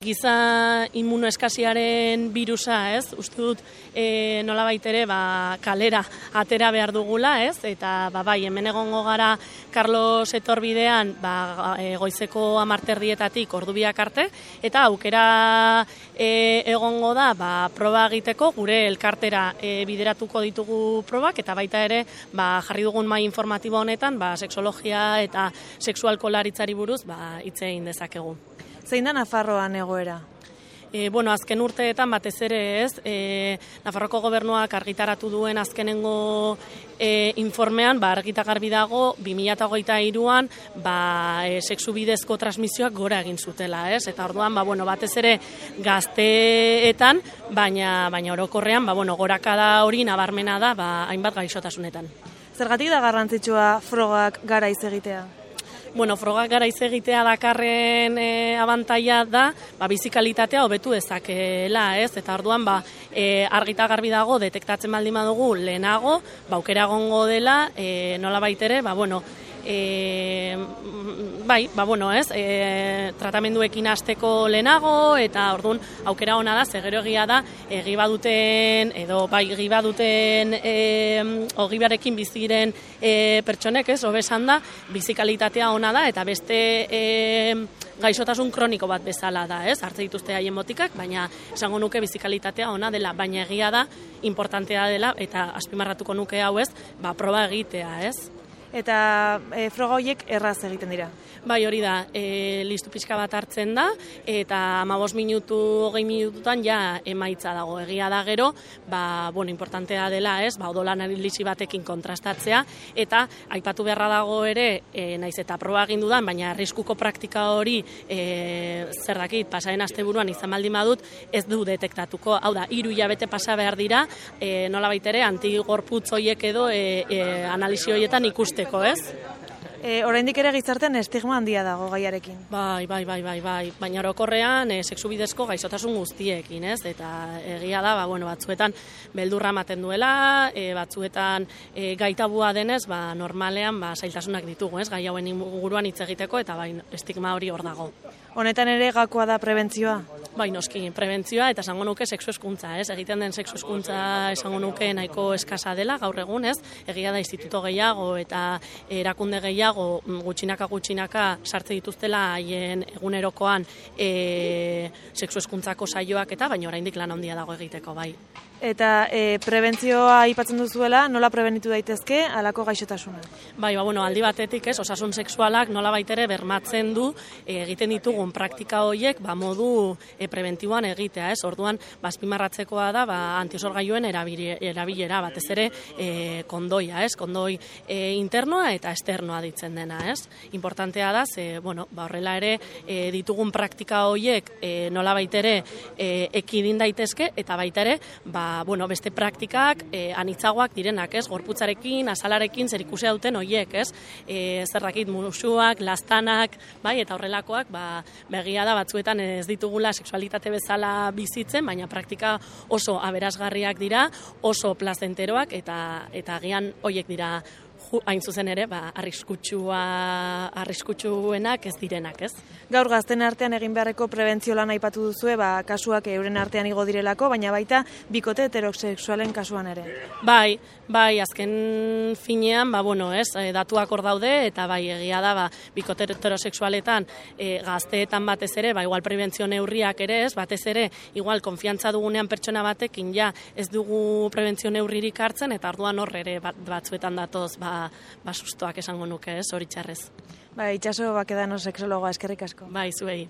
Giza immunoeskasiaren birusa, ez? Uste dut nolabait ere kalera atera behar dugula, ez? Eta bai, hemen egongo gara Carlos etorbidean goizeko 10:00 ordu arte, eta aukera egongo da proba egiteko gure elkartera bideratuko ditugu probak, eta baita ere jarri dugun mahai informatibo honetan sexologia eta sexualkolaritzari buruz hitz egin dezakegu. Zein da Nafarroan egoera? Azken urteetan batez ere ez, Nafarroko gobernuak argitaratu duen azkenengo informean, argi eta garbi dago, 2023an sexu bidezko transmisioak gora egin zutela, ez? Eta orduan, batez ere gazteetan, baina orokorrean, gorakada hori nabarmena da, hainbat gaixotasunetan. Zergatik da garrantzitsua frogak garaiz egitea? Frogak garaiz egitea dakarren abantaila da, bizikalitatea hobetu dezakela, ez? Eta orduan, argi eta garbi dago, detektatzen baldin badugu lehenago, aukera egongo dela, nolabait ere, tratamenduekin hasteko lehenago, eta orduan aukera ona da, gero egia da, ogibarekin biziren pertsonek, ez, hobesan da, bizikalitatea ona da, eta beste gaixotasun kroniko bat bezala da, ez, hartze dituzte haien botikak, baina esango nuke bizikalitatea ona dela, baina egia da, importantea dela, eta azpimarratuko nuke hau ez, proba egitea, ez. Eta froga horiek erraz egiten dira? Bai, hori da, listu pixka bat hartzen da, eta 15 minutu, 20 minututan ja emaitza dago. Egia da gero, importantea dela, ez, odolan analisi batekin kontrastatzea, eta aipatu beharra dago ere, naiz eta proba egin dudan, baina arriskuko praktika hori, zer dakit, pasaren asteburuan izan baldin badut, ez du detektatuko. Hau da, 3 hilabete pasa behar dira, nolabait ere, antigorputz horiek edo analisi horietan ikusteko, ez? Oraindik ere gizartean estigma handia dago gaiarekin. Bai, baina orokorrean sexu bidezko gaixotasun guztiekin, ez? Eta egia da, batzuetan beldurra ematen duela, batzuetan gaitabua denez, normalean zailtasunak ditugu, ez? Gai hauen inguruan hitz egiteko, eta estigma hori hor dago. Honetan ere gakoa da prebentzioa? Bai, noski, prebentzioa eta esango nuke sexu hezkuntza, ez? Egiten den sexu hezkuntza esango nuke nahiko eskasa dela gaur egun, ez? Egia da instituto gehiago eta erakunde gehiago gutxinaka sartze dituztela haien egunerokoan sexu hezkuntzako saioak eta baina oraindik lan handia dago egiteko, bai. Eta prebentzioa aipatzen duzuela, nola prebenitu daitezke halako gaixotasuna? Bai, aldi batetik, ez, osasun sexualak nola baitere bermatzen du egiten ditugun praktika horiek modu prebentiboan egitea, ez? Orduan, azpimarratzekoa da antiosorgailuen erabilera, batez ere kondoia, ez? Kondoi internoa eta externoa ditzen dena, ez? Importantea da, horrela ere ditugun praktika horiek nola baitere ekidin daitezke, eta baita ere, beste praktikak anitzagoak direnak, ez? Gorputzarekin, azalarekin zerikusia duten horiek, ez? Zerrakit musuak, lastanak, eta horrelakoak, begia da batzuetan ez ditugula sexualitate bezala bizitzen, baina praktika oso aberasgarriak dira, oso plazenteroak, eta agian horiek dira hain zuzen ere, arriskutsuenak ez direnak, ez? Gaur gazten artean egin beharreko prebentzio lan aipatu duzue, kasuak euren artean igo direlako, baina baita bikote heterosexualen kasuan ere. Bai, azken finean, datuak hor daude, eta egia da, bikote heterosexualetan gazteetan batez ere, igual prebentzio neurriak ere ez, batez ere, igual konfiantza dugunean pertsona batekin, ez dugu prebentzio neurririk hartzen, eta orduan hor ere batzuetan datoz, sustoak esango nuke, ez, hori txarrez. Itxaso Bakedano sexologoa, eskerrik asko. Bai, zuei.